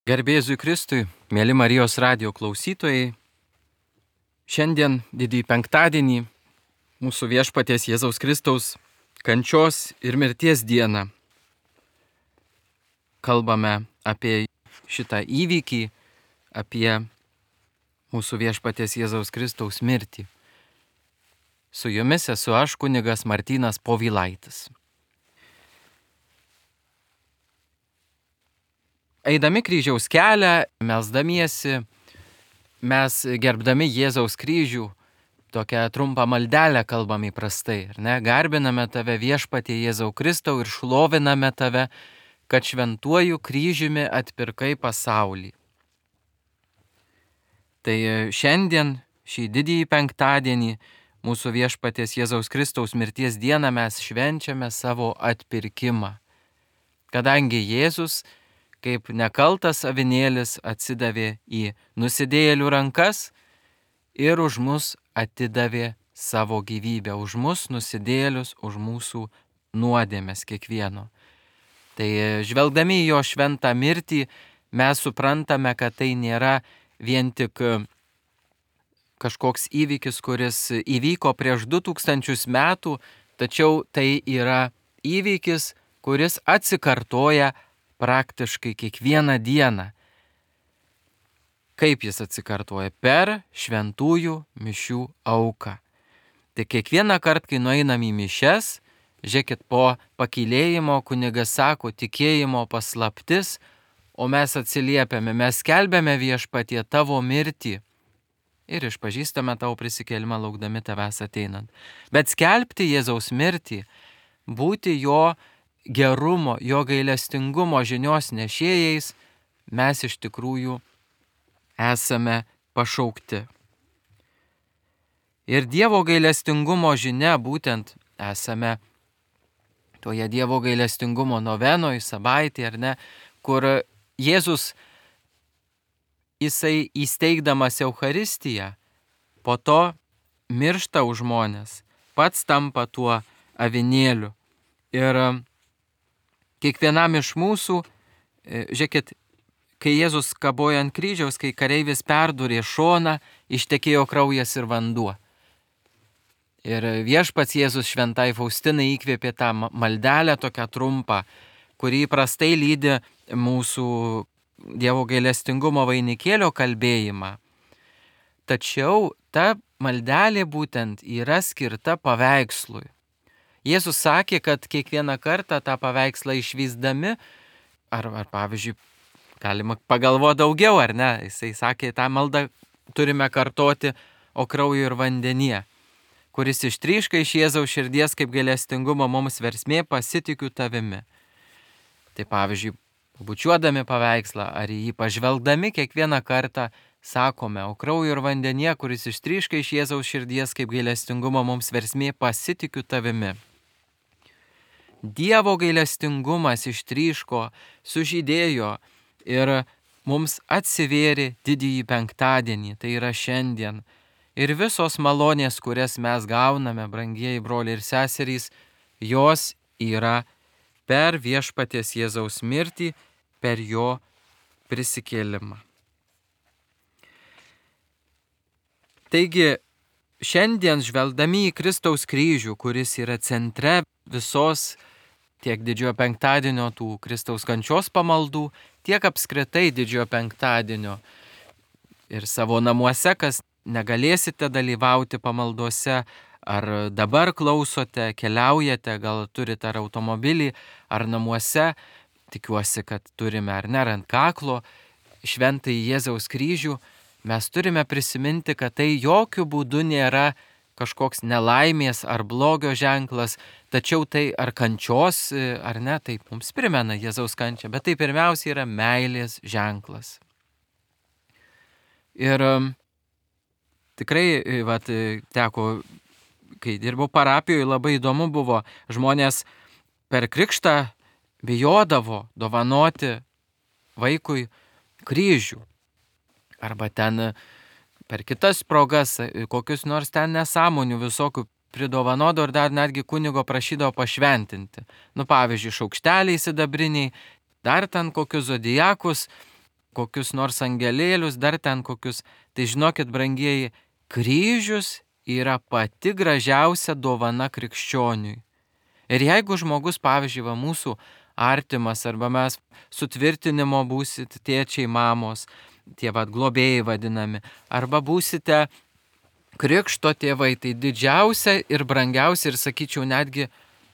Garbė Jėzui Kristui, mėly Marijos radijo klausytojai, šiandien didįjį penktadienį, mūsų viešpaties Jėzaus Kristaus kančios ir mirties dieną, kalbame apie šitą įvykį, apie mūsų viešpaties Jėzaus Kristaus mirtį. Su jumis esu aš, kunigas Martynas Povilaitis. Eidami kryžiaus kelią, melsdamiesi, mes gerbdami Jėzaus kryžių, tokią trumpą maldelę kalbam įprastai, ar ne? Garbiname tave viešpatie Jėzau Kristau ir šloviname tave, kad šventuoju kryžiumi atpirkai pasaulį. Tai šiandien, šį didįjį penktadienį, mūsų viešpaties Jėzaus Kristaus mirties dieną mes švenčiame savo atpirkimą. Kadangi Jėzus, kaip nekaltas avinėlis, atsidavė į nusidėjėlių rankas ir už mus atidavė savo gyvybę, už mus nusidėjėlius, už mūsų nuodėmes kiekvieno. Tai žvelgdami į jo šventą mirtį, mes suprantame, kad tai nėra vien tik kažkoks įvykis, kuris įvyko prieš 2000 metų, tačiau tai yra įvykis, kuris atsikartoja praktiškai kiekvieną dieną. Kaip jis atsikartoja? Per šventųjų mišių auką. Tai kiekvieną kartą, kai nueinam į mišias, žiūrėkit, po pakylėjimo kunigas sako tikėjimo paslaptis, o mes atsiliepiame, mes skelbiame viešpatie tavo mirtį ir išpažįstame tavo prisikėlimą laukdami tavęs ateinant. Bet skelbti Jėzaus mirtį, būti jo gerumo, jo gailestingumo žinios nešėjais, mes iš tikrųjų esame pašaukti. Ir Dievo gailestingumo žinia, būtent esame toje Dievo gailestingumo novenoje, savaitėje, ar ne, kur Jėzus, jisai įsteigdamas Eucharistiją, po to miršta už žmones, pats tampa tuo avinėliu. Ir kiekvienam iš mūsų, žiūrėkit, kai Jėzus kabojo ant kryžiaus, kai kareivis perdūrė šoną, ištekėjo kraujas ir vanduo. Ir viešpats Jėzus šventai Faustinai įkvėpė tą maldelę tokią trumpą, kuri įprastai lydi mūsų Dievo gailestingumo vainikėlio kalbėjimą. Tačiau ta maldelė būtent yra skirta paveikslui. Jėzus sakė, kad kiekvieną kartą tą paveikslą išvysdami, ar pavyzdžiui, galima pagalvoti daugiau, ar ne? Jisai sakė, tą maldą turime kartoti, o krauju ir vandenyje, kuris ištryška iš Jėzaus širdies kaip gailestingumo mums versmė, pasitikiu tavimi. Tai pavyzdžiui, bučiuodami paveikslą ar į jį pažvelgdami kiekvieną kartą sakome, o krauju ir vandenyje, kuris ištryška iš Jėzaus širdies kaip gailestingumo mums versmė, pasitikiu tavimi. Dievo gailestingumas ištryško, sužydėjo ir mums atsivėrė didįjį penktadienį, tai yra šiandien. Ir visos malonės, kurias mes gauname, brangieji broliai ir seserys, jos yra per viešpaties Jėzaus mirtį, per jo prisikėlimą. Taigi, šiandien žvelgdami į Kristaus kryžių, kuris yra centre visos tiek didžiojo penktadienio tų Kristaus kančios pamaldų, tiek apskritai didžiojo penktadienio ir savo namuose, kas negalėsite dalyvauti pamaldose, ar dabar klausote, keliaujate, gal turite ar automobilį, ar namuose, tikiuosi, kad turime ar ne ant kaklo, šventąjį Jėzaus kryžių, mes turime prisiminti, kad tai jokių būdų nėra kažkoks nelaimės ar blogio ženklas, tačiau tai ar kančios, ar ne, taip mums primena Jėzaus kančią, bet tai pirmiausia yra meilės ženklas. Ir tikrai, teko, kai dirbau parapijoje, labai įdomu buvo, žmonės per krikštą bijodavo dovanoti vaikui kryžių. Arba ten per kitas progas, kokius nors ten nesąmonių visokių pridovanodavo ir dar netgi kunigo prašydavo pašventinti. Pavyzdžiui, šaukšteliai sidabriniai, dar ten kokius zodiakus, kokius nors angelėlius, dar ten kokius. Tai žinokit, brangieji, kryžius yra pati gražiausia dovana krikščioniui. Ir jeigu žmogus, pavyzdžiui, mūsų artimas, arba mes sutvirtinimo būsit tėčiai, mamos, tie globėjai vadinami, arba būsite krikšto tėvai, tai didžiausia ir brangiausia ir sakyčiau netgi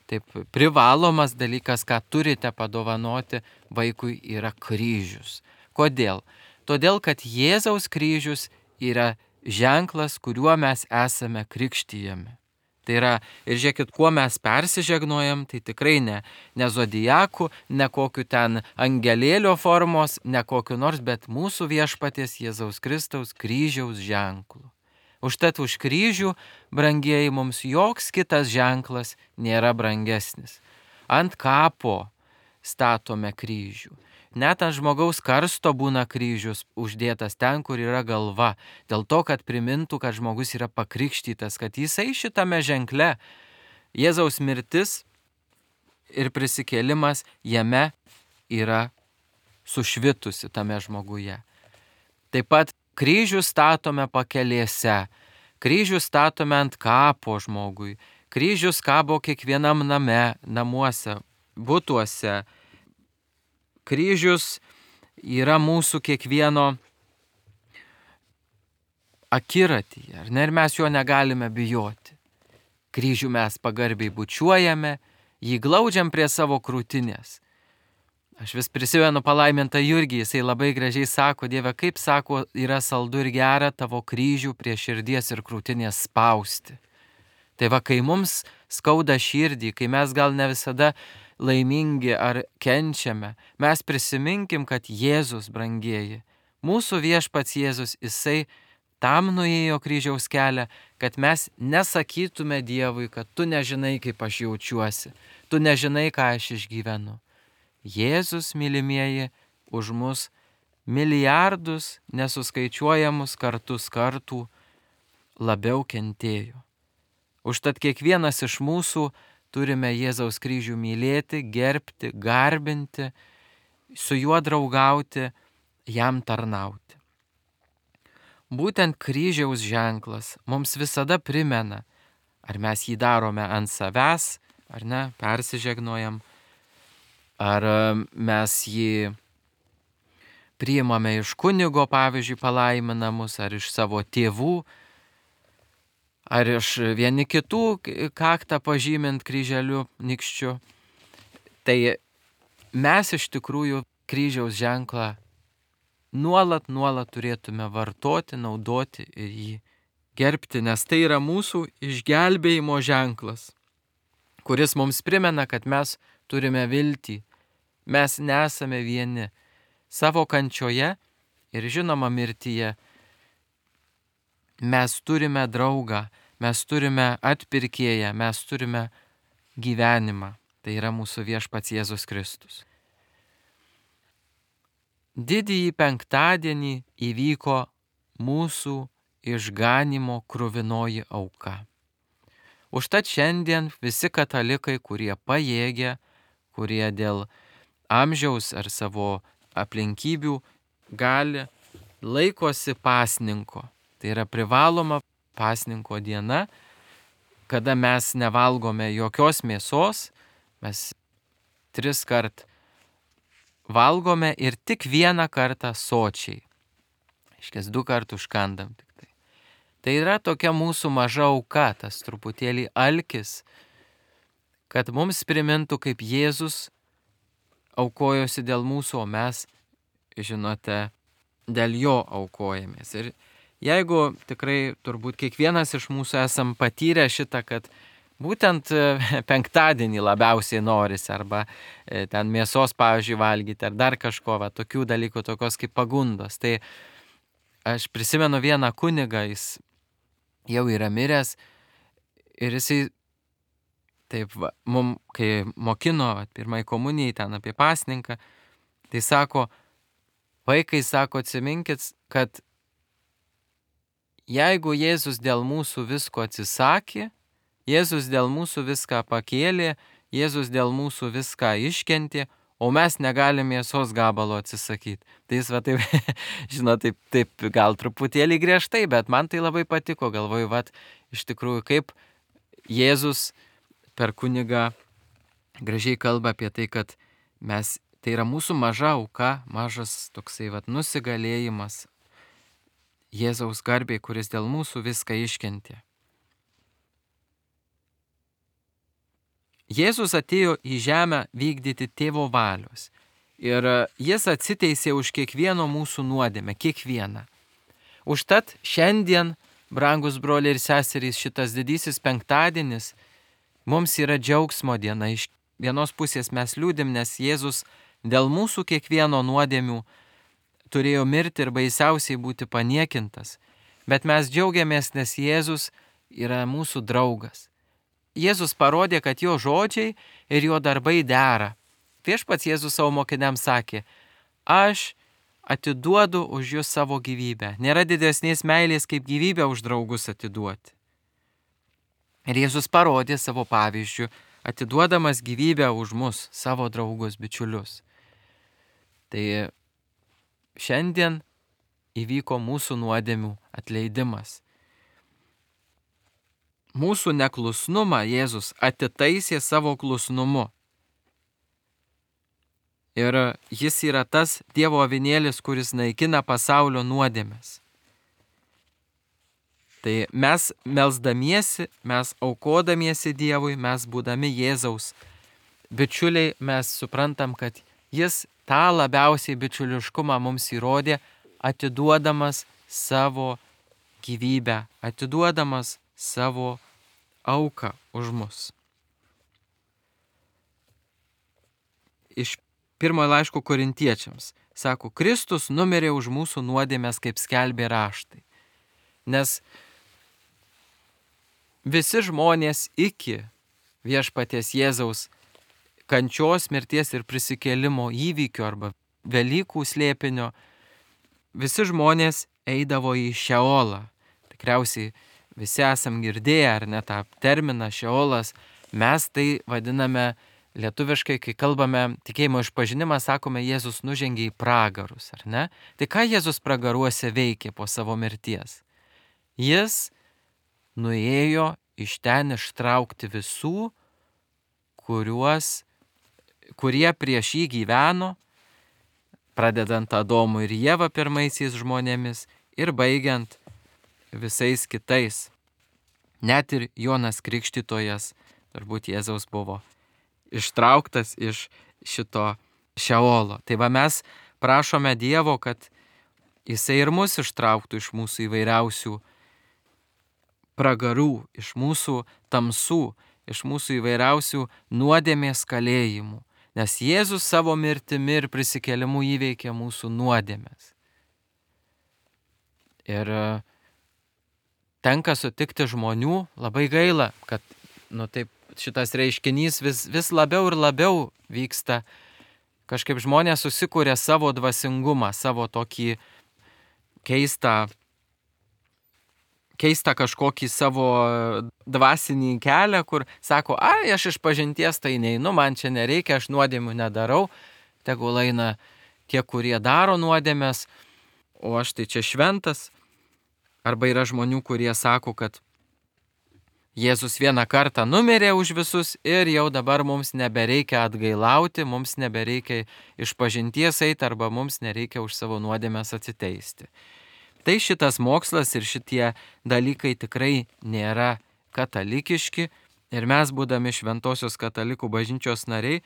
taip privalomas dalykas, ką turite padovanoti vaikui, yra kryžius. Kodėl? Todėl, kad Jėzaus kryžius yra ženklas, kuriuo mes esame krikštijami. Tai yra, ir žiūrėkit, kuo mes persižegnojam, tai tikrai ne zodijakų, ne kokiu ten angelėlio formos, ne kokiu nors, bet mūsų viešpaties Jėzaus Kristaus kryžiaus ženklu. Užtat už kryžių, brangieji, mums joks kitas ženklas nėra brangesnis. Ant kapo statome kryžių. Net ant žmogaus karsto būna kryžius uždėtas ten, kur yra galva, dėl to, kad primintų, kad žmogus yra pakrikštytas, kad jisai šitame ženkle, Jėzaus mirtis ir prisikėlimas jame yra sušvitusi tame žmoguje. Taip pat kryžių statome pakelėse, kryžių statome ant kapo žmogui, kryžius kabo kiekvienam name, namuose, butuose. Kryžius yra mūsų kiekvieno akiratyje, ar ne? Ir mes jo negalime bijoti. Kryžių mes pagarbiai bučiuojame, jį glaudžiam prie savo krūtinės. Aš vis prisimenu palaimintą Jurgį, jisai labai gražiai sako, Dieve, kaip sako, yra saldu ir gera tavo kryžių prie širdies ir krūtinės spausti. Tai kai mums skauda širdį, kai mes gal ne visada laimingi ar kenčiame, mes prisiminkim, kad Jėzus, brangieji, mūsų viešpats Jėzus, jisai tam nuėjo kryžiaus kelią, kad mes nesakytume Dievui, kad tu nežinai, kaip aš jaučiuosi, tu nežinai, ką aš išgyvenu. Jėzus, mylimieji, už mus milijardus nesuskaičiuojamus kartų labiau kentėjo. Užtat kiekvienas iš mūsų turime Jėzaus kryžių mylėti, gerbti, garbinti, su juo draugauti, jam tarnauti. Būtent kryžiaus ženklas mums visada primena, ar mes jį darome ant savęs, ar ne, persižegnojam, ar mes jį priimame iš kunigo, pavyzdžiui, palaiminamus, ar iš savo tėvų, ar iš vieni kitų kaktą pažymint kryželiu nykščiu. Tai mes iš tikrųjų kryžiaus ženklą nuolat turėtume vartoti, naudoti ir jį gerbti, nes tai yra mūsų išgelbėjimo ženklas, kuris mums primena, kad mes turime viltį, mes nesame vieni savo kančioje ir žinoma mirtyje. Mes turime draugą, mes turime atpirkėją, mes turime gyvenimą. Tai yra mūsų viešpats Jėzus Kristus. Didįjį penktadienį įvyko mūsų išganymo kruvinoji auka. Užtat šiandien visi katalikai, kurie pajėgia, kurie dėl amžiaus ar savo aplinkybių gali, laikosi pasninko. Tai yra privaloma pasninko diena, kada mes nevalgome jokios mėsos, mes 3 kart valgome ir tik 1 kartą sočiai. Iškės 2 kartus užkandam tik tai. Tai yra tokia mūsų maža auka, tas truputėlį alkis, kad mums primintų, kaip Jėzus aukojosi dėl mūsų, o mes, žinote, dėl jo aukojamės. Ir jeigu tikrai turbūt kiekvienas iš mūsų esam patyrę šitą, kad būtent penktadienį labiausiai norisi, arba ten mėsos, pavyzdžiui, valgyti, ar dar kažko, tokių dalykų, tokios kaip pagundos. Tai aš prisimenu vieną kunigą, jis jau yra miręs ir jisai taip, kai mokino pirmai komunijai ten apie pasninką, tai sako, vaikai, sako, atsiminkit, kad jeigu Jėzus dėl mūsų visko atsisakė, Jėzus dėl mūsų viską pakėlė, Jėzus dėl mūsų viską iškentė, o mes negalim mėsos gabalo atsisakyti. Tai jis va taip, žinot, taip gal truputėlį griežtai, bet man tai labai patiko, galvoju, va, iš tikrųjų, kaip Jėzus per kunigą gražiai kalba apie tai, kad tai yra mūsų maža auka, mažas toksai va, nusigalėjimas Jėzaus garbei, kuris dėl mūsų viską iškentė. Jėzus atėjo į žemę vykdyti tėvo valios ir jis atsiteisė už kiekvieno mūsų nuodėmę, kiekvieną. Užtat šiandien, brangus broliai ir seserys, šitas didysis penktadienis mums yra džiaugsmo diena. Iš vienos pusės mes liūdim, nes Jėzus dėl mūsų kiekvieno nuodėmių turėjo mirti ir baisiausiai būti paniekintas. Bet mes džiaugiamės, nes Jėzus yra mūsų draugas. Jėzus parodė, kad jo žodžiai ir jo darbai dera. Viešpats Jėzus savo mokiniams sakė, aš atiduodu už jūs savo gyvybę. Nėra didesnės meilės, kaip gyvybę už draugus atiduoti. Ir Jėzus parodė savo pavyzdžių, atiduodamas gyvybę už mus, savo draugus, bičiulius. Tai šiandien įvyko mūsų nuodėmių atleidimas. Mūsų neklusnumą Jėzus atitaisė savo klusnumu. Ir jis yra tas Dievo avinėlis, kuris naikina pasaulio nuodėmes. Tai mes melsdamiesi, mes aukodamiesi Dievui, mes būdami Jėzaus bičiuliai, mes suprantam, kad jis tą labiausiai bičiuliškumą mums įrodė, atiduodamas savo gyvybę, atiduodamas savo auką už mus. Iš pirmojo laiško Korintiečiams sako, Kristus numirė už mūsų nuodėmes, kaip skelbė raštai. Nes visi žmonės iki viešpaties Jėzaus kančios, mirties ir prisikėlimo įvykio arba Velykų slėpinio, visi žmonės eidavo į Šeolą. Tikriausiai visi esam girdėję, ar ne, tą terminą Šeolas. Mes tai vadiname lietuviškai, kai kalbame tikėjimo išpažinimą, sakome, Jėzus nužengė į pragarus, ar ne? Tai ką Jėzus pragaruose veikė po savo mirties? Jis nuėjo iš ten ištraukti visų, kurie prieš jį gyveno, pradedant Adomu ir Ieva pirmaisiais žmonėmis ir baigiant visais kitais. Net ir Jonas Krikštytojas, turbūt Jėzaus buvo ištrauktas iš šito Šeolo. Tai va mes prašome Dievo, kad jisai ir mus ištrauktų iš mūsų įvairiausių pragarų, iš mūsų tamsų, iš mūsų įvairiausių nuodėmės kalėjimų. Nes Jėzus savo mirtimi ir prisikėlimu įveikė mūsų nuodėmes. Ir tenka sutikti žmonių, labai gaila, kad taip, šitas reiškinys vis labiau ir labiau vyksta. Kažkaip žmonės susikūrė savo dvasingumą, savo tokį keistą kažkokį savo dvasinį kelią, kur sako, aš iš pažinties tai neinu, man čia nereikia, aš nuodėmių nedarau, tegul eina tie, kurie daro nuodėmes, o aš tai čia šventas. Arba yra žmonių, kurie sako, kad Jėzus vieną kartą numirė už visus ir jau dabar mums nebereikia atgailauti, mums nebereikia iš pažinties eiti arba mums nereikia už savo nuodėmes atsiteisti. Tai šitas mokslas ir šitie dalykai tikrai nėra katalikiški ir mes, būdami Šventosios katalikų bažnyčios nariai,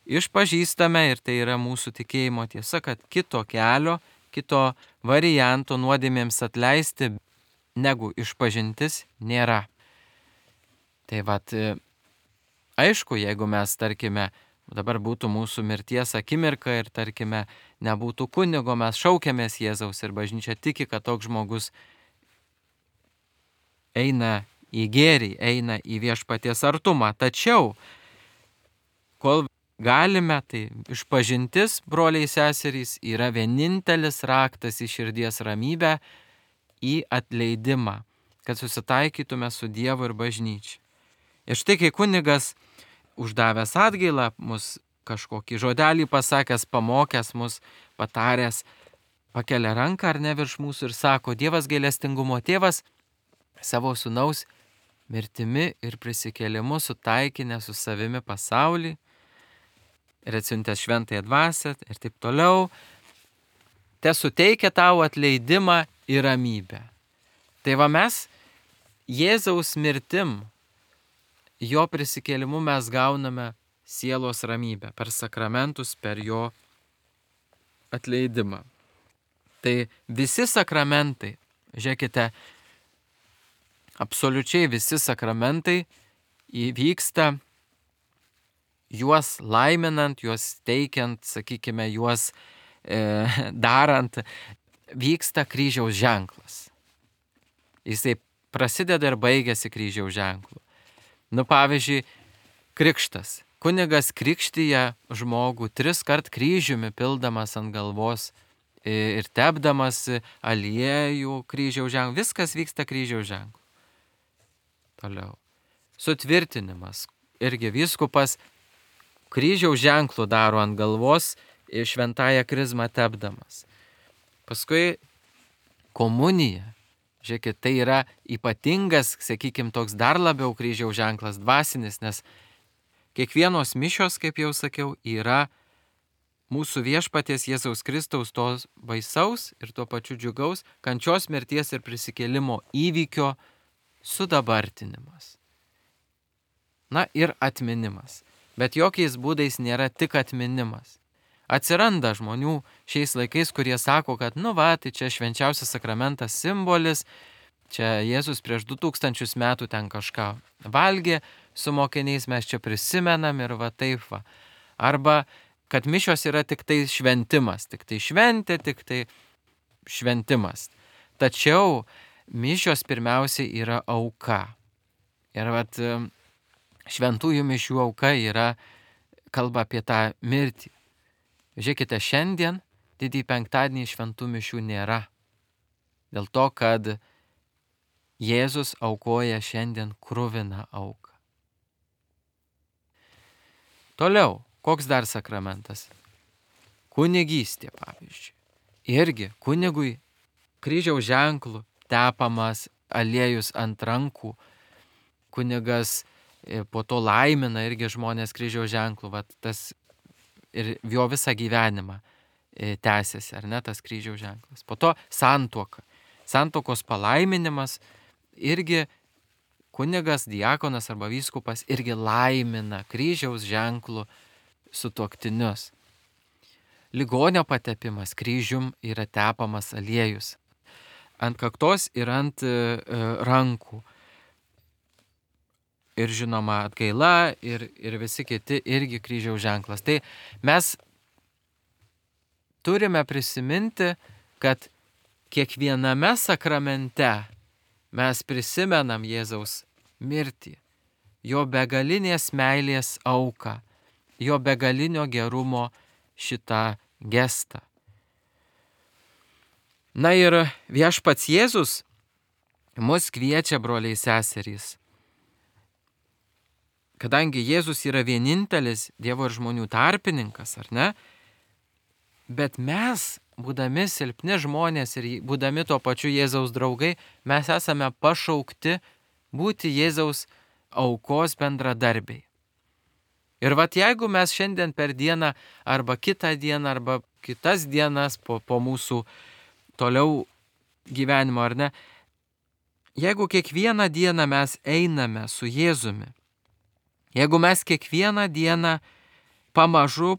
išpažįstame, ir tai yra mūsų tikėjimo tiesa, kad kito kelio, kito varianto nuodėmėms atleisti negu išpažintis nėra. Tai vat, aišku, jeigu mes, tarkime, dabar būtų mūsų mirties akimirka ir, tarkime, nebūtų kunigo, mes šaukiamės Jėzaus ir bažnyčia tiki, kad toks žmogus eina į gėrį, eina į viešpaties artumą. Tačiau, kol galime, tai išpažintis, broliai seserys, yra vienintelis raktas į širdies ramybę, į atleidimą, kad susitaikytume su Dievu ir bažnyčia. Ir štai, kai kunigas uždavęs atgailą mus kažkokį žodelį pasakęs, pamokęs mus, pataręs, pakelia ranką ar ne virš mūsų ir sako, Dievas gailestingumo tėvas savo sūnaus mirtimi ir prisikėlimu sutaikinę su savimi pasaulį ir atsiuntęs šventąją dvasią ir taip toliau, te suteikia tau atleidimą ir ramybę. Tai va mes Jėzaus mirtim, jo prisikėlimu mes gauname sielos ramybę per sakramentus, per jo atleidimą. Tai visi sakramentai, žiūrėkite, absoliučiai visi sakramentai įvyksta juos laiminant, juos teikiant, sakykime, juos darant, vyksta kryžiaus ženklas. Jisai prasideda ir baigėsi kryžiaus ženklu. Pavyzdžiui, krikštas. Kunigas krikštyja žmogų 3 kart kryžiumi pildamas ant galvos ir tepdamas aliejų kryžiaus ženklų. Viskas vyksta kryžiaus ženklu. Toliau. Sutvirtinimas. Irgi vyskupas kryžiaus ženklų daro ant galvos šventąją krizmą tepdamas. Paskui komunija. Žiūrėkit, tai yra ypatingas, sakykime, toks dar labiau kryžiaus ženklas dvasinis, nes kiekvienos mišios, kaip jau sakiau, yra mūsų viešpaties Jėzaus Kristaus tos baisaus ir tuo pačiu džiugaus kančios, mirties ir prisikėlimo įvykio sudabartinimas. Ir atminimas. Bet jokiais būdais nėra tik atminimas. Atsiranda žmonių šiais laikais, kurie sako, kad tai čia švenčiausias sakramentas simbolis, čia Jėzus prieš 2000 metų ten kažką valgė su mokiniais, mes čia prisimenam ir taip va. Arba, kad mišios yra tik tai šventimas, tik tai šventė, tik tai šventimas. Tačiau mišios pirmiausiai yra auka. Ir šventųjų mišių auka yra kalba apie tą mirtį. Žiūrėkite, šiandien didįjį penktadienį šventų mišių nėra. Dėl to, kad Jėzus aukoja šiandien kruviną auką. Toliau, koks dar sakramentas? Kunigystė, pavyzdžiui. Irgi kunigui kryžiaus ženklų tepamas aliejus ant rankų. Kunigas po to laimina irgi žmonės kryžiaus ženklų. Tas ir jo visą gyvenimą tęsiasi, ar ne, tas kryžiaus ženklas. Po to santuoka. Santuokos palaiminimas irgi kunigas, diakonas arba vyskupas irgi laimina kryžiaus ženklų sutuoktinius. Ligonio patepimas kryžium yra tepamas aliejus. Ant kaktos ir ant rankų. Ir žinoma atgaila ir visi kiti irgi kryžiaus ženklas. Tai mes turime prisiminti, kad kiekviename sakramente mes prisimenam Jėzaus mirtį, jo begalinės meilės auką, jo begalinio gerumo šitą gestą. Ir viešpats Jėzus mus kviečia, broliai seserys. Kadangi Jėzus yra vienintelis Dievo ir žmonių tarpininkas, ar ne? Bet mes, būdami silpni žmonės ir būdami tuo pačiu Jėzaus draugai, mes esame pašaukti būti Jėzaus aukos bendradarbiai. Ir jeigu mes šiandien per dieną arba kitą dieną arba kitas dienas po mūsų toliau gyvenimo, ar ne, jeigu kiekvieną dieną mes einame su Jėzumi, jeigu mes kiekvieną dieną pamažu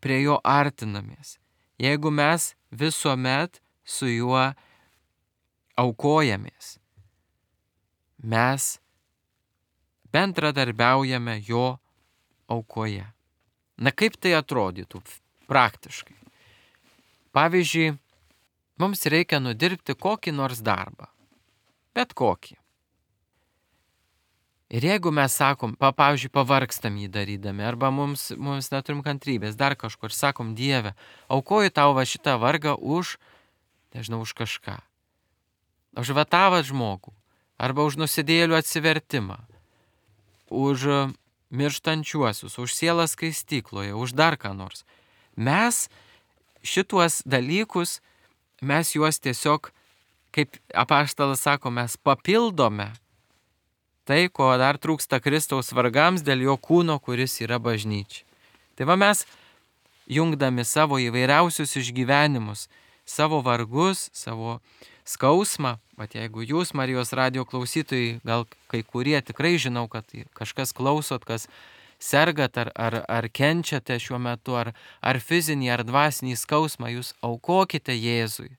prie jo artinamės, jeigu mes visuomet su juo aukojamės, mes bendradarbiaujame jo aukoje. Kaip tai atrodytų praktiškai? Pavyzdžiui, mums reikia nudirbti kokį nors darbą, bet kokį. Ir jeigu mes sakom, pavyzdžiui, pavargstam jį darydami, arba mums neturim kantrybės, dar kažkur, sakom, Dieve, aukoju tau šitą vargą už kažką. Už tą žmogų, arba už nusidėjėlių atsivertimą, už mirštančiuosius, už sielą skaistykloje, už dar ką nors. Mes šituos dalykus, mes juos tiesiog, kaip apaštalas sako, mes papildome tai, ko dar trūksta Kristaus vargams dėl jo kūno, kuris yra bažnyčia. Tai va mes, jungdami savo įvairiausius išgyvenimus, savo vargus, savo skausmą, bet jeigu jūs, Marijos radijo klausytojai, gal kai kurie tikrai žinau, kad kažkas klausot, kas sergat ar kenčiate šiuo metu, ar fizinį, ar dvasinį skausmą, jūs aukokite Jėzui.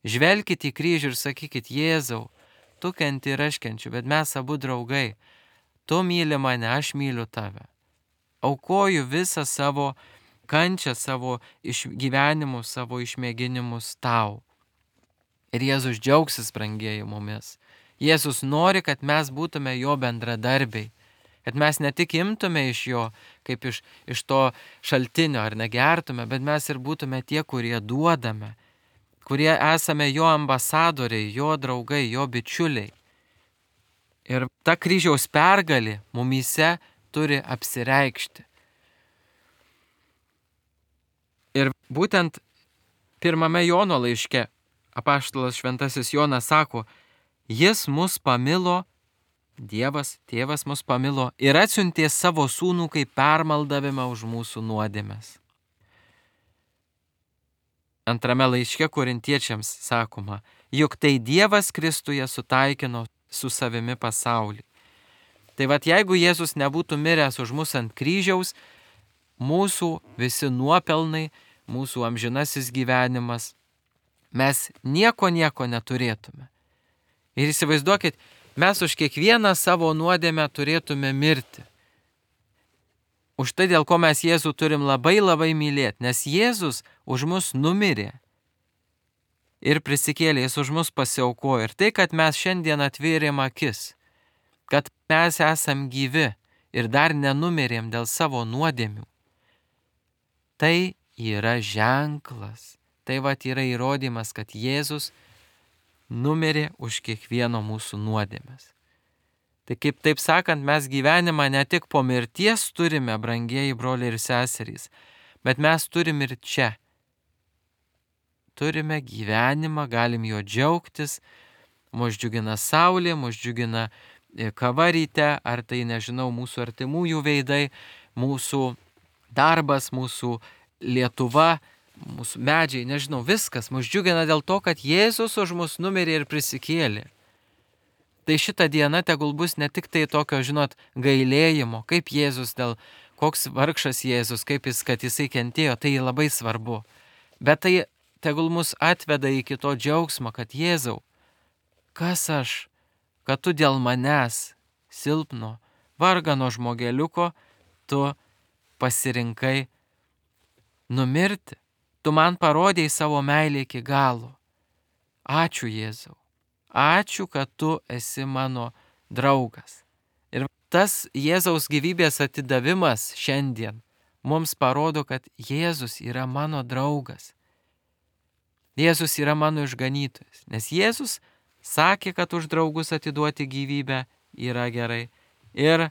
Žvelkite į kryžių ir sakykit, Jėzau, tu kenti ir aš kenčiu, bet mes abu draugai. Tu myli mane, aš myliu tave. Aukoju visą savo kančią, savo išgyvenimus, savo išmėginimus tau. Ir Jėzus džiaugsis, brangieji, mumis. Jėzus nori, kad mes būtume jo bendradarbiai. Kad mes ne tik imtume iš jo, kaip iš to šaltinio, ar negertume, bet mes ir būtume tie, kurie duodame, kurie esame jo ambasadoriai, jo draugai, jo bičiuliai. Ir ta kryžiaus pergalė mumyse turi apsireikšti. Ir būtent pirmame Jono laiške apaštalas šventasis Jonas sako, jis mus pamilo, Dievas, tėvas mus pamilo ir atsiuntė savo sūnų kaip permaldavimą už mūsų nuodėmes. Antrame laiške korintiečiams sakoma, juk tai Dievas Kristuje sutaikino su savimi pasaulį. Tai vat jeigu Jėzus nebūtų miręs už mus ant kryžiaus, mūsų visi nuopelnai, mūsų amžinasis gyvenimas, mes nieko neturėtume. Ir įsivaizduokit, mes už kiekvieną savo nuodėmę turėtume mirti. Už tai, dėl ko mes Jėzų turim labai mylėti, nes Jėzus už mus numirė ir prisikėlė, jis už mus pasiaukojo. Ir tai, kad mes šiandien atvėrėm akis, kad mes esam gyvi ir dar nenumirėm dėl savo nuodėmių, tai yra ženklas. Tai vat yra įrodymas, kad Jėzus numirė už kiekvieno mūsų nuodėmes. Tai kaip taip sakant, mes gyvenimą ne tik po mirties turime, brangieji broliai ir seserys, bet mes turim ir čia. Turime gyvenimą, galim jo džiaugtis, mus džiugina saulė, mus džiugina kava ryte, ar tai, nežinau, mūsų artimųjų veidai, mūsų darbas, mūsų Lietuva, mūsų medžiai, nežinau, viskas mus džiugina dėl to, kad Jėzus už mus numirė ir prisikėlė. Tai šita diena tegul bus ne tik tai tokio, žinot, gailėjimo, kaip Jėzus koks vargšas Jėzus, kad jisai kentėjo, tai labai svarbu. Bet tai tegul mus atveda iki to džiaugsmo, kad Jėzau, kas aš, kad tu dėl manęs, silpno, vargano žmogeliuko, tu pasirinkai numirti. Tu man parodėjai savo meilę iki galo. Ačiū, Jėzau. Ačiū, kad tu esi mano draugas. Ir tas Jėzaus gyvybės atidavimas šiandien mums parodo, kad Jėzus yra mano draugas. Jėzus yra mano išganytojas. Nes Jėzus sakė, kad už draugus atiduoti gyvybę yra gerai. Ir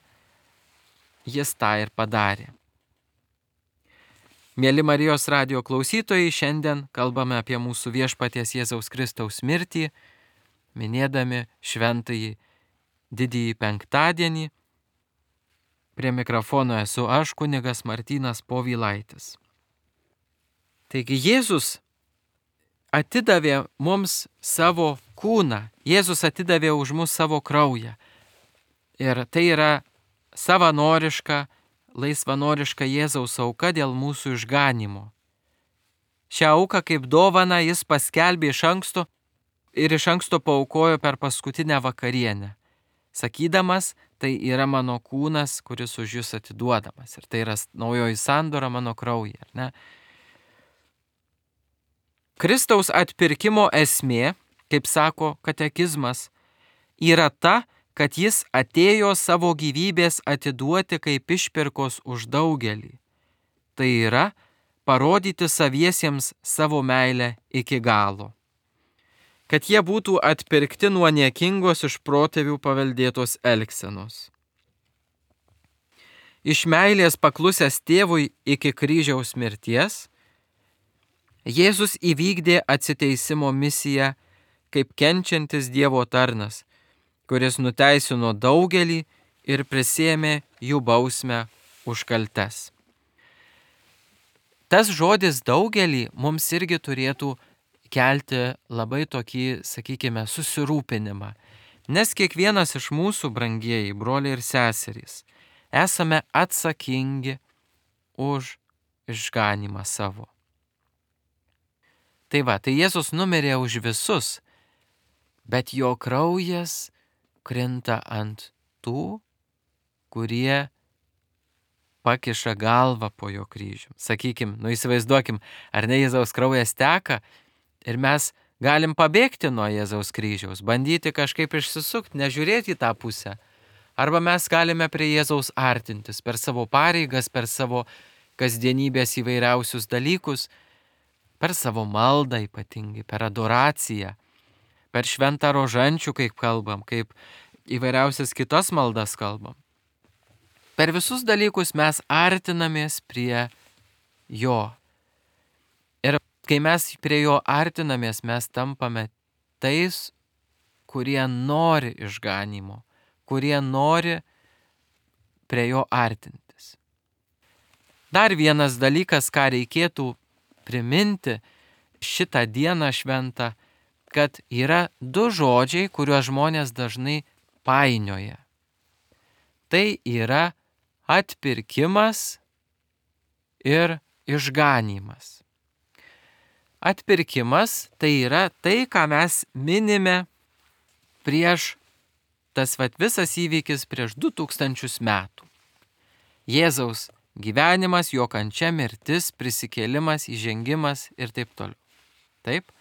jis tą ir padarė. Mėly Marijos radijo klausytojai, šiandien kalbame apie mūsų viešpaties Jėzaus Kristaus mirtį, minėdami šventąjį didįjį penktadienį. Prie mikrofono esu aš, kunigas Martynas Povilaitis. Taigi Jėzus atidavė mums savo kūną, Jėzus atidavė už mus savo kraują. Ir tai yra laisvanoriška Jėzaus auka dėl mūsų išganimo. Šią auką kaip dovaną jis paskelbė iš anksto paaukojo per paskutinę vakarienę, sakydamas, tai yra mano kūnas, kuris už jūs atiduodamas. Ir tai yra naujoji sandora mano kraujyje. Ar ne? Kristaus atpirkimo esmė, kaip sako katekizmas, yra ta, kad jis atėjo savo gyvybės atiduoti kaip išpirkos už daugelį. Tai yra parodyti saviesiems savo meilę iki galo. Kad jie būtų atpirkti nuo niekingos iš protėvių paveldėtos elgsenos. iš meilės paklusęs tėvui iki kryžiaus mirties, Jėzus įvykdė atsiteisimo misiją kaip kenčiantis Dievo tarnas, kuris nuteisino daugelį ir prisiėmė jų bausmę už kaltes. Tas žodis daugelį mums irgi turėtų kelti labai tokį, sakykime, susirūpinimą, nes kiekvienas iš mūsų, brangieji broliai ir seserys, esame atsakingi už išganymą savo. Tai Jėzus numirė už visus, bet jo kraujas krinta ant tų, kurie pakiša galvą po jo kryžium. Sakykim, įsivaizduokim, ar ne Jėzaus kraujas teka ir mes galim pabėgti nuo Jėzaus kryžiaus, bandyti kažkaip išsisukti, nežiūrėti į tą pusę. Arba mes galime prie Jėzaus artintis per savo pareigas, per savo kasdienybės įvairiausius dalykus, per savo maldą ypatingai, per adoraciją, per šventą rožančių, kaip kalbam, kaip įvairiausias kitas maldas kalbam. Per visus dalykus mes artinamės prie jo. Ir kai mes prie jo artinamės, mes tampame tais, kurie nori išganymo, kurie nori prie jo artintis. Dar vienas dalykas, ką reikėtų priminti šitą dieną šventą, kad yra du žodžiai, kuriuos žmonės dažnai painioja. Tai yra atpirkimas ir išganymas. Atpirkimas tai yra tai, ką mes minime prieš tas visas įvykis prieš 2000 metų. Jėzaus gyvenimas, jo kančia, mirtis, prisikėlimas, įžengimas ir taip toliau. Taip?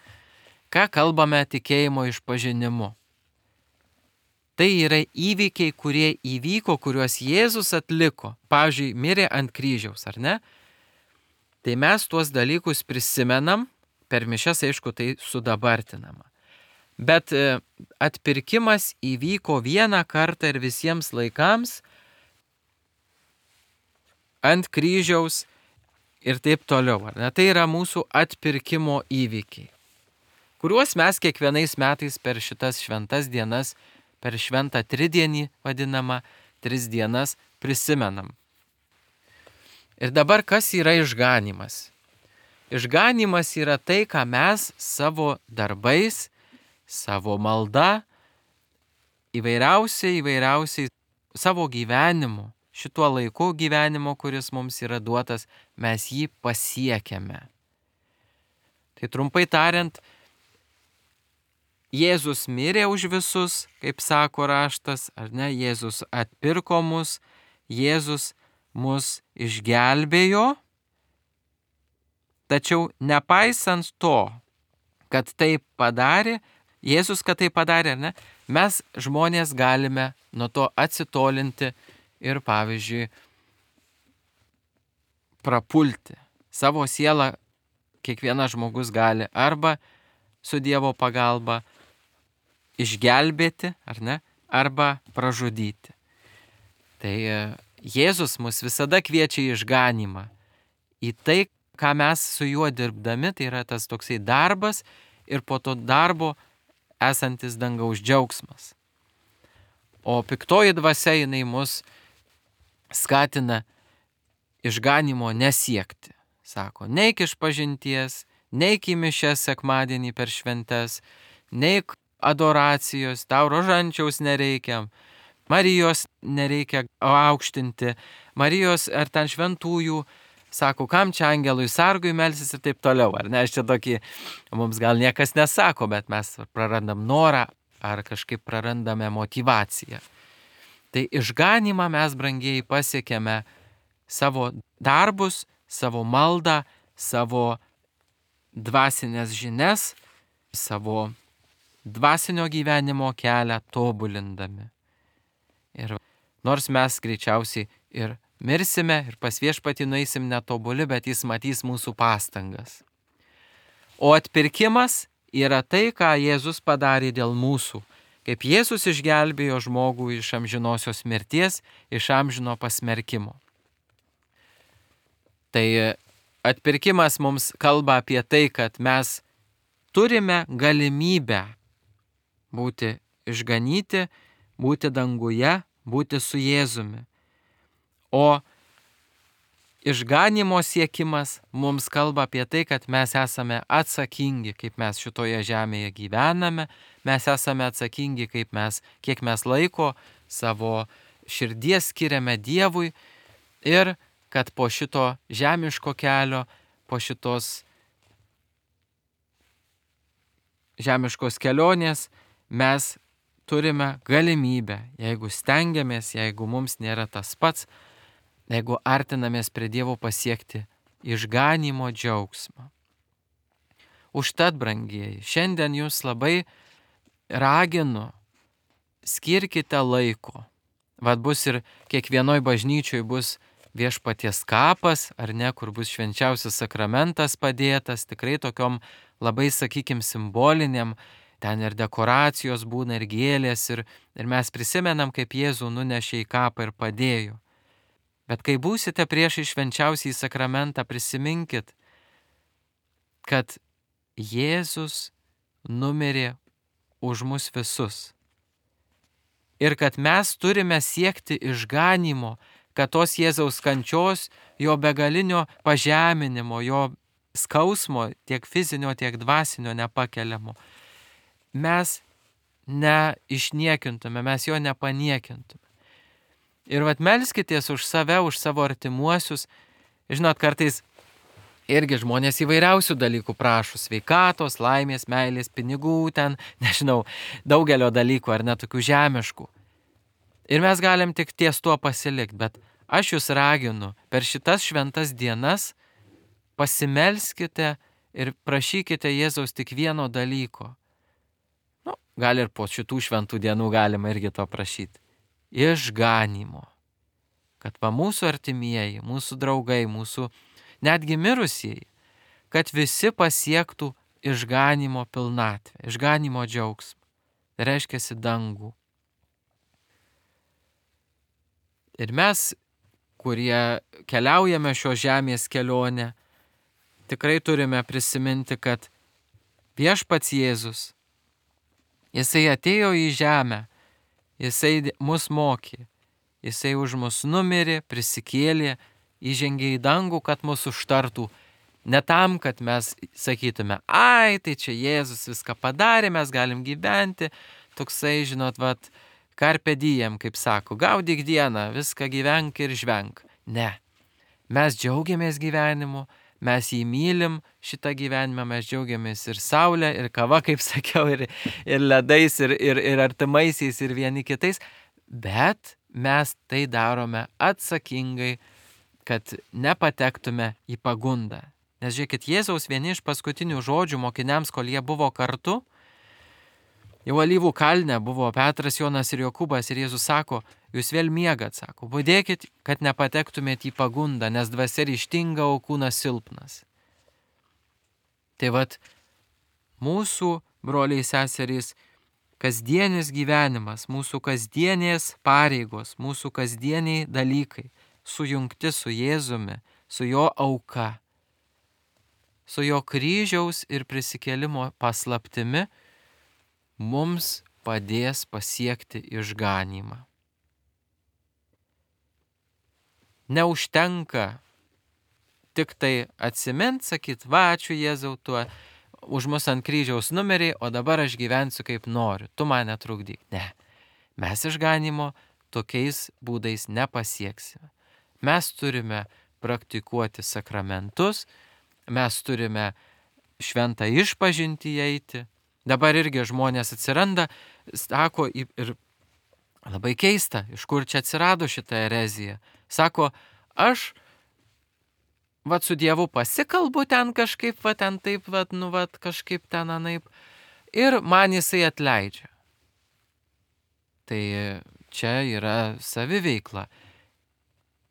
Ką kalbame tikėjimo išpažinimu? Tai yra įvykiai, kurie įvyko, kuriuos Jėzus atliko. Pavyzdžiui, mirė ant kryžiaus, ar ne? Tai mes tuos dalykus prisimenam, per mišias, aišku, tai sudabartinama. Bet atpirkimas įvyko vieną kartą ir visiems laikams ant kryžiaus ir taip toliau. Ar ne? Tai yra mūsų atpirkimo įvykiai, kuriuos mes kiekvienais metais per šitas šventas dienas, per šventą tridienį vadinamą, 3 dienas prisimenam. Ir dabar kas yra išganymas? Išganymas yra tai, ką mes savo darbais, savo malda, įvairiausiai savo gyvenimu, šituo laiku gyvenimo, kuris mums yra duotas, mes jį pasiekiame. Tai trumpai tariant, Jėzus mirė už visus, kaip sako raštas, ar ne? Jėzus atpirko mus, Jėzus mus išgelbėjo, tačiau nepaisant to, kad tai padarė, Jėzus, kad tai padarė, ar ne? Mes žmonės galime nuo to atsitolinti ir, pavyzdžiui, prapulti. Savo sielą kiekvienas žmogus gali arba su Dievo pagalba išgelbėti, ar ne, arba pražudyti. Tai Jėzus mus visada kviečia į išganymą, į tai, ką mes su juo dirbdami, tai yra tas toksai darbas ir po to darbo esantis dangaus džiaugsmas. O piktoji dvasia, jinai mus skatina išganymo nesiekti. Sako, neik išpažinties, neik į mišias sekmadienį per šventes, neik adoracijos, tau rožančiaus nereikia, Marijos nereikia aukštinti, Marijos ar ten šventųjų, sako, kam čia angelui sargui melsis ir taip toliau. Ar ne, aš čia tokį, mums gal niekas nesako, bet mes prarandam norą ar kažkaip prarandame motyvaciją. Tai išganymą mes, brangieji, pasiekėme savo darbus, savo maldą, savo dvasinės žinias, savo dvasinio gyvenimo kelią tobulindami. Ir nors mes greičiausiai ir mirsime ir pas Viešpatį nueisim netobuli, bet jis matys mūsų pastangas. O atpirkimas yra tai, ką Jėzus padarė dėl mūsų. Kaip Jėzus išgelbėjo žmogų iš amžinosios mirties, iš amžino pasmerkimo. Tai atpirkimas mums kalba apie tai, kad mes turime galimybę būti išganyti, būti danguje, būti su Jėzumi. O išganimo siekimas mums kalba apie tai, kad mes esame atsakingi, kaip mes šitoje žemėje gyvename, mes esame atsakingi, kiek mes laiko savo širdies skiriame Dievui ir kad po šito žemiško kelio, po šitos žemiškos kelionės mes turime galimybę, jeigu stengiamės, jeigu mums nėra tas pats, jeigu artinamės prie Dievo pasiekti išganimo džiaugsmą. Užtat, brangieji, šiandien jūs labai raginu, skirkite laiko. Vat bus ir kiekvienoj bažnyčioj bus viešpaties kapas, ar ne, kur bus švenčiausias sakramentas padėtas, tikrai tokiom labai, sakykim, simboliniam, ten ir dekoracijos būna, ir gėlės, ir mes prisimenam, kaip Jėzų nunešė į kapą ir padėjo. Bet kai būsite prieš švenčiausiąjį sakramentą, prisiminkit, kad Jėzus numirė už mus visus. Ir kad mes turime siekti išganimo, kad tos Jėzaus kančios, jo begalinio pažeminimo, jo skausmo, tiek fizinio, tiek dvasinio nepakeliamo, mes neišniekintume, mes jo nepaniekintume. Ir vat melskitės už save, už savo artimuosius. Žinot, kartais irgi žmonės įvairiausių dalykų prašo, sveikatos, laimės, meilės, pinigų, ten, nežinau, daugelio dalykų, ar net tokių žemiškų. Ir mes galim tik ties tuo pasilikti, bet aš jūs raginu per šitas šventas dienas pasimelskite ir prašykite Jėzaus tik vieno dalyko. Gal ir po šitų šventų dienų galima irgi to prašyti. Išganimo. Kad mūsų artimieji, mūsų draugai, mūsų netgi mirusieji, kad visi pasiektų išganimo pilnatvę, išganimo džiaugsmą. Tai reiškiasi dangų. Ir mes, kurie keliaujame šios žemės kelionę, tikrai turime prisiminti, kad viešpats Jėzus, jisai atėjo į žemę, jisai mus mokė, jisai už mus numirė, prisikėlė, įžengė į dangų, kad mus užtartų. Ne tam, kad mes sakytume, ai, tai čia Jėzus viską padarė, mes galim gyventi, toksai, žinot, vat, carpe diem, kaip sako, gaudyk dieną, viską gyvenk ir žvenk. Ne, mes džiaugiamės gyvenimu, mes jį mylim, šitą gyvenimą mes džiaugiamės ir saulė, ir kava, kaip sakiau, ir ledais, ir artimaisiais, ir vieni kitais, bet mes tai darome atsakingai, kad nepatektume į pagundą. Nes žiūrėkit, Jėzaus vieni iš paskutinių žodžių mokiniams, kol jie buvo kartu, jau Alyvų kalne buvo Petras, Jonas ir Jokūbas, ir Jėzus sako, jūs vėl miegat, sako, budėkit, kad nepatektumėte į pagundą, nes dvasia ryžtinga, o kūnas silpnas. Tai vat, mūsų broliai seserys, kasdienis gyvenimas, mūsų kasdienės pareigos, mūsų kasdieniai dalykai, sujungti su Jėzumi, su jo auka, su jo kryžiaus ir prisikėlimo paslaptimi, mums padės pasiekti išganymą. Neužtenka tik tai atsimint, sakyt, va, ačiū Jėzau, tuo už mus ant kryžiaus numerį, o dabar aš gyvensiu kaip noriu, tu man netrukdyk. Ne, mes išganimo tokiais būdais nepasieksime. Mes turime praktikuoti sakramentus, mes turime šventą išpažintį eiti. Dabar irgi žmonės atsiranda, sako, ir labai keista, iš kur čia atsirado šitą ereziją. Sako, aš su Dievu pasikalbu ten kažkaip, ten taip, kažkaip ten anaip, ir man jisai atleidžia. Tai čia yra saviveikla.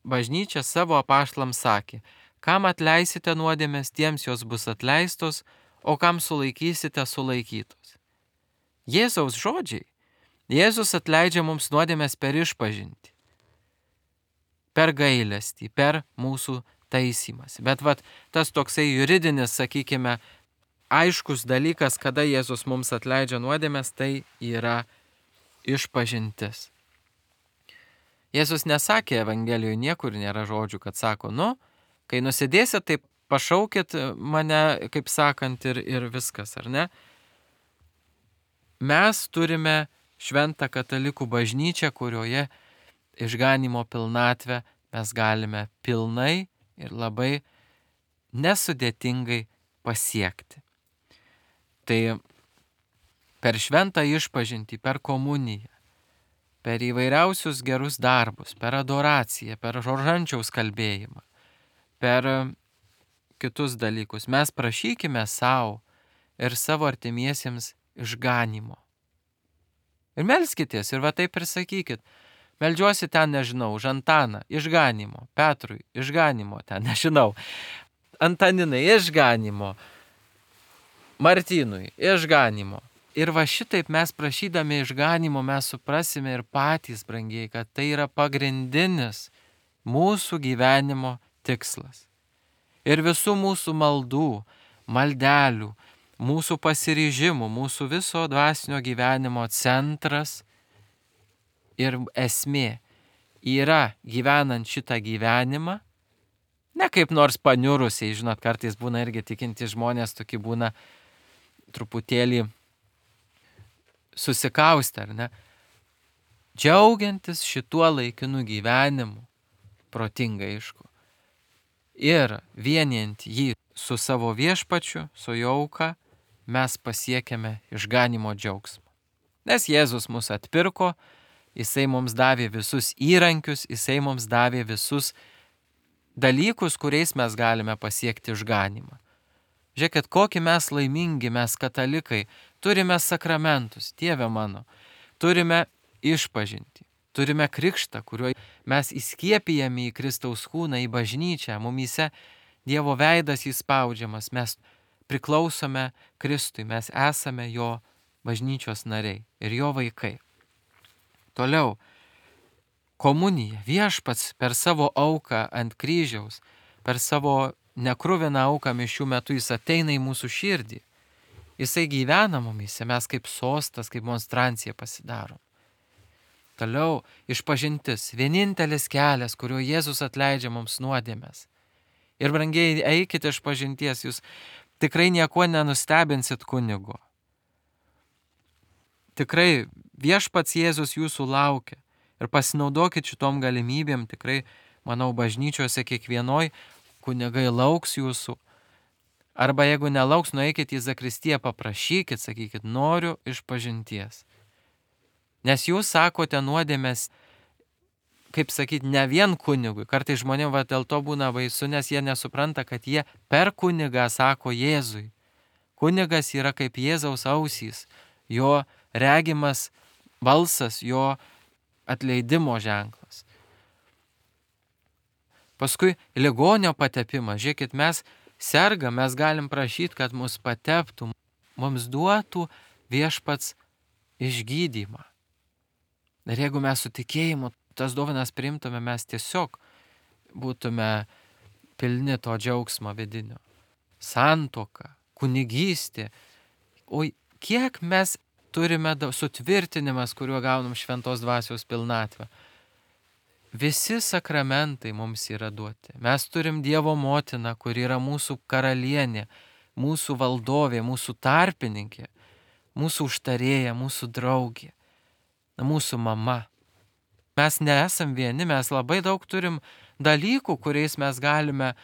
Bažnyčia savo apaštalams sakė, kam atleisite nuodėmes, tiems jos bus atleistos, o kam sulaikysite, sulaikytos. Jėzaus žodžiai. Jėzus atleidžia mums nuodėmes per išpažintį, per gailestį, per mūsų taisymas. Bet tas toksai juridinis, sakykime, aiškus dalykas, kada Jėzus mums atleidžia nuodėmes, tai yra išpažintis. Jėzus nesakė Evangelijoje, niekur nėra žodžių, kad sako, kai nusidėsit, tai pašaukit mane, kaip sakant, ir viskas, ar ne? Mes turime šventą katalikų bažnyčią, kurioje išganymo pilnatvę mes galime pilnai ir labai nesudėtingai pasiekti. Tai per šventą išpažintį, per komuniją, per įvairiausius gerus darbus, per adoraciją, per rožančiaus kalbėjimą, per kitus dalykus. Mes prašykime savo ir savo artimiesiems išganymo. Ir melskitės, ir taip ir sakykit. Meldžiuosi ten, nežinau, už Antaną, išganymo, Petrui, išganymo ten, nežinau, Antaninai, išganymo, Martynui, išganymo. Ir šitaip mes prašydami išganymo mes suprasime ir patys, brangiai, kad tai yra pagrindinis mūsų gyvenimo tikslas. Ir visų mūsų maldų, maldelių, mūsų pasiryžimų, mūsų viso dvasinio gyvenimo centras ir esmė yra gyvenant šitą gyvenimą, ne kaip nors paniurusiai, žinot, kartais būna irgi tikinti žmonės, tokie būna truputėlį susikaustę, ar ne? Džiaugiantis šituo laikinu gyvenimu, protingai aišku, ir vienijant jį su savo viešpačiu, su jo auka, mes pasiekėme išganymo džiaugsmą. Nes Jėzus mus atpirko, jisai mums davė visus įrankius, jisai mums davė visus dalykus, kuriais mes galime pasiekti išganymą. Žiūrėkit, kokį mes laimingi, mes katalikai, turime sakramentus, Dieve mano, turime išpažintį, turime krikštą, kuriuo mes įskiepijame į Kristaus kūną, į bažnyčią, mumyse Dievo veidas įspaudžiamas, mes priklausome Kristui, mes esame jo bažnyčios nariai ir jo vaikai. Toliau, komunija, viešpats per savo auką ant kryžiaus, per savo nekruviną auką mišių metu jis ateina į mūsų širdį. Jisai gyvena mumyse, mes kaip sostas, kaip monstrancija pasidarom. Toliau, išpažintis, vienintelis kelias, kuriuo Jėzus atleidžia mums nuodėmes. Ir brangiai, eikite išpažinties, jūs tikrai nieko nenustebinsit kunigo. Tikrai viešpats Jėzus jūsų laukia ir pasinaudokit šitom galimybėm, tikrai, manau, bažnyčiose kiekvienoj kunigai lauks jūsų. Arba jeigu nelauks, nueikit į zakristiją, paprašykit, sakykit, noriu išpažinties. Nes jūs sakote nuodėmes, kaip sakyti, ne vien kunigui. Kartais žmonėms dėl to būna baisu, nes jie nesupranta, kad jie per kunigą sako Jėzui. Kunigas yra kaip Jėzaus ausys, jo regimas balsas, jo atleidimo ženklas. Paskui ligonio patepimas. Žiūrėkit, mes sergam, mes galim prašyti, kad mus pateptų, mums duotų viešpats išgydymą. Ir jeigu mes su tikėjimu tas dovanas priimtume, mes tiesiog būtume pilni to džiaugsmo vidinio. Santuoka, kunigystė. O kiek mes turime sutvirtinimas, kuriuo gaunam šventos dvasios pilnatvę. Visi sakramentai mums yra duoti. Mes turim Dievo motiną, kuri yra mūsų karalienė, mūsų valdovė, mūsų tarpininkė, mūsų užtarėja, mūsų draugė, mūsų mama. Mes nesam vieni, mes labai daug turim dalykų, kuriais mes galime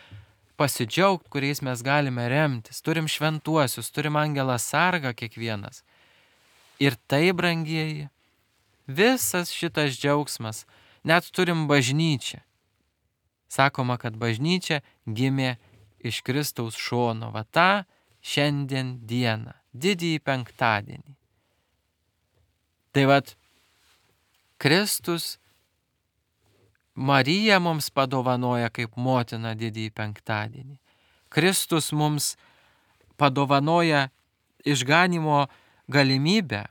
pasidžiaugti, kuriais mes galime remtis. Turim šventuosius, turim angelą sargą kiekvienas. Ir tai, brangieji, visas šitas džiaugsmas, net turim bažnyčią. Sakoma, kad bažnyčia gimė iš Kristaus šono, tą šiandien dieną, didįjį penktadienį. Tai Kristus Marija mums padovanoja kaip motina didįjį penktadienį. Kristus mums padovanoja išganymo galimybę.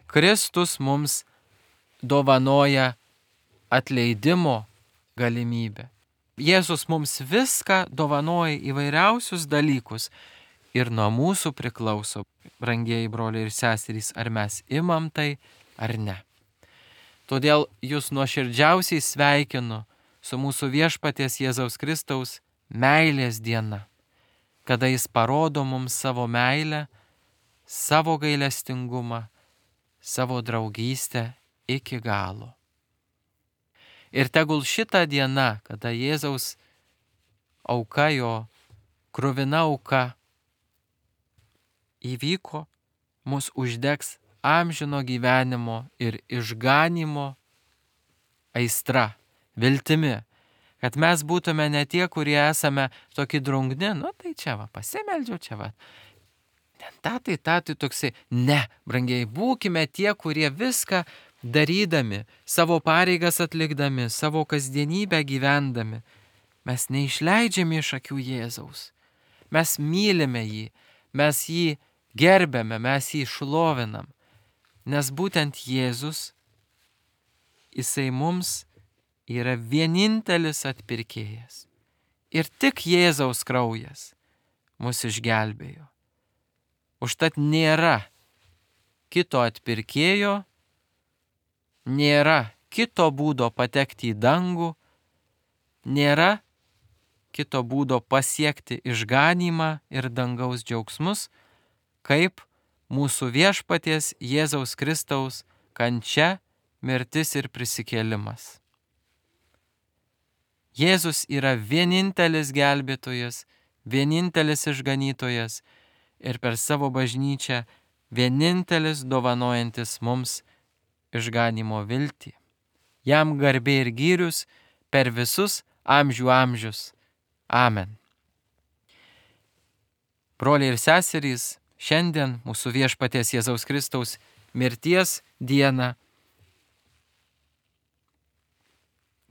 Kristus mums dovanoja atleidimo galimybę. Jėzus mums viską dovanoja, įvairiausius dalykus. Ir nuo mūsų priklauso, brangieji broliai ir seserys, ar mes imam tai ar ne. Todėl jūs nuoširdžiausiai sveikinu su mūsų viešpaties Jėzaus Kristaus meilės diena, kada jis parodo mums savo meilę, savo gailestingumą, savo draugystę iki galo. Ir tegul šitą dieną, kada Jėzaus auka, jo kruvina auka įvyko, mus uždegs amžino gyvenimo ir išganimo aistra, viltimi, kad mes būtume ne tie, kurie esame tokie drungni, tai čia va, pasimeldžiau, čia va, tatai toksai, ne, brangiai, būkime tie, kurie viską darydami, savo pareigas atlikdami, savo kasdienybę gyvendami, mes neišleidžiame iš akių Jėzaus, mes mylime jį, mes jį gerbėme, mes jį šlovinam, nes būtent Jėzus, jisai mums yra vienintelis atpirkėjas. Ir tik Jėzaus kraujas mus išgelbėjo. Užtat nėra kito atpirkėjo, nėra kito būdo patekti į dangų, nėra kito būdo pasiekti išganymą ir dangaus džiaugsmus, kaip mūsų viešpaties Jėzaus Kristaus kančia, mirtis ir prisikėlimas. Jėzus yra vienintelis gelbėtojas, vienintelis išganytojas ir per savo bažnyčią vienintelis dovanojantis mums išganimo viltį. Jam garbė ir gyrius per visus amžių amžius. Amen. Broliai ir seserys, šiandien mūsų viešpaties Jėzaus Kristaus mirties dieną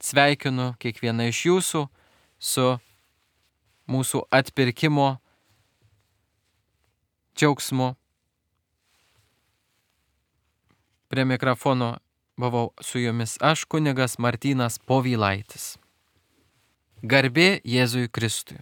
sveikinu kiekvieną iš jūsų su mūsų atpirkimo džiaugsmu. Prie mikrofono buvau su jumis aš, kunigas Martynas Povylaitis. Garbė Jėzui Kristui.